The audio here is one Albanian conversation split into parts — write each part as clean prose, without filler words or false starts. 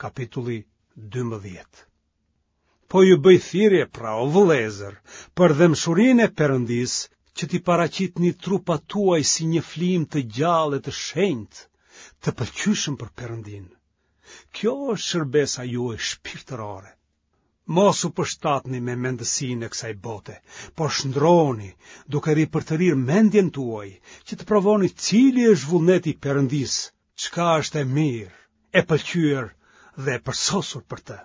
Kapitulli 12. Po ju bëj thirrje pra o vëllezër, për dhembshurinë e Perëndisë, që t'i paraqitni trupat tuaj si një flijim të gjallë e të shenjtë, të pëlqyeshëm për Perëndinë. Kjo është shërbesa juaj shpirtërore. Mos u përshtatni me mendësinë e kësaj bote, por shndërrohuni duke ripërtërirë mendjen tuaj, që të provoni cili është vullneti i Perëndisë, çka është e mirë, e pëlqyer dhe e përsosur për të.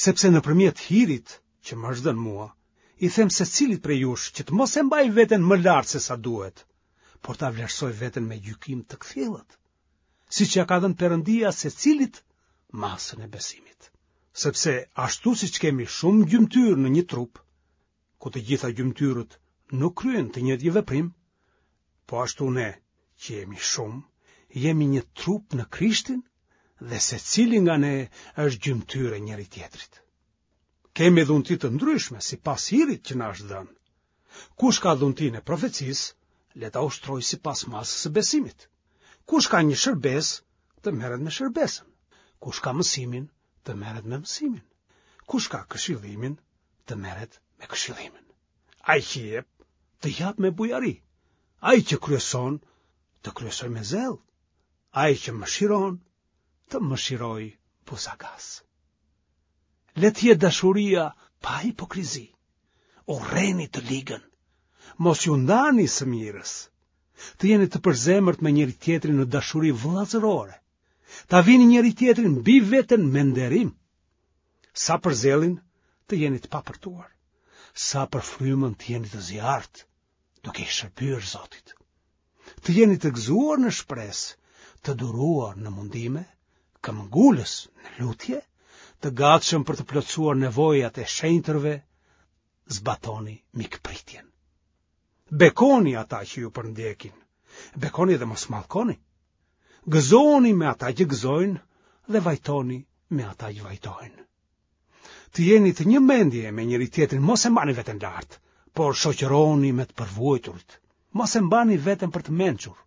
Sepse nëpërmjet hirit që më është dhënë mua, i them secilit prej jush që të mos e mbajë veten më lart se sa duhet, por ta vlerësojë veten me gjykim të kthjellët, siç ia ka dhënë Perëndia secilit masën e besimit. Sepse ashtu siç kemi shumë gjymtyrë në një trup, ku të gjitha gjymtyrët nuk kryejnë të njëjtin veprim, po ashtu ne që jemi shumë, jemi një trup në Krishtin dhe secili nga ne është gjymtyrë e njëri-tjetrit. Kemi dhunti të ndryshme sipas hirit që na është dhënë. Kush ka dhuntinë e profecisë, le ta ushtrojë sipas masës së besimit. Kush ka një shërbesë, të merret me shërbesën. Kush ka mësimin, të merret me mësimin. Kush ka këshillimin, të merret me këshillimin. Ai që jep, të japë me bujari. Ai që kryeson, të kryesojë me zell. Ai që mëshiron, të mëshirojë buzagaz. Le të jetë dashuria pa hipokrizi. Urreni të ligën. Mos iu ndani së mirës. Të jeni të përzemërt me njëri-tjetrin në dashuri vëllazërore. Ta vini njëri-tjetrin mbi veten me nderim. Sa për zellin, të jeni të papërtuar. Sa për frymën të jeni të zjarrtë, duke i shërbyer Zotit. Të jeni të gëzuar në shpresë, të duruar në mundime, këmbëngulës në lutje, të gatshëm për të plotësuar nevojat e shenjtërve, zbatoni mikpritjen. Bekoni ata që ju përndjekin, bekoni dhe mos mallkoni. Gëzohuni me ata që gëzojnë dhe vajtoni me ata që vajtojnë. Të jeni të një mendje me njëri-tjetrin, mos e mbani veten lart, por shoqërohuni me të përvuajturit. Mos e mbani veten për të mençur.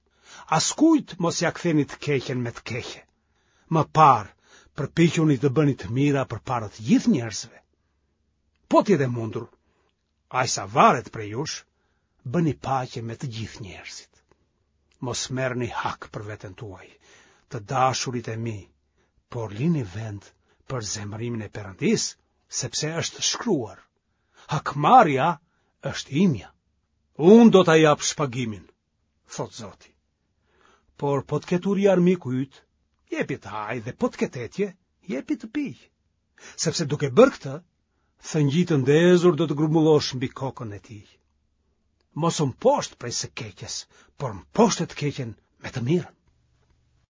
Askujt mos ia ktheni të keqen me të keqe. Më parë, përpiquni të bëni të mira përpara të gjithë njerëzve. Po të jetë e mundur, aq sa varet prej jush, bëni paqe me të gjithë njerëzit. Mos merrni hak për veten tuaj, të dashurit e mi, por lini vend për zemërimin e Perëndisë, sepse është shkruar. Hakmarrja është imja. Unë do ta jap shpagimin, thotë Zoti. Por po të ketë uri armiku yt, jepi të hajë dhe po të ketë etje, jepi të pijë. Sepse duke bërë këtë, thëngjij të ndezur do të grumbullosh mbi kokën e tij. Mos u mposht prej së keqes, por mposhte të keqen me të mirën.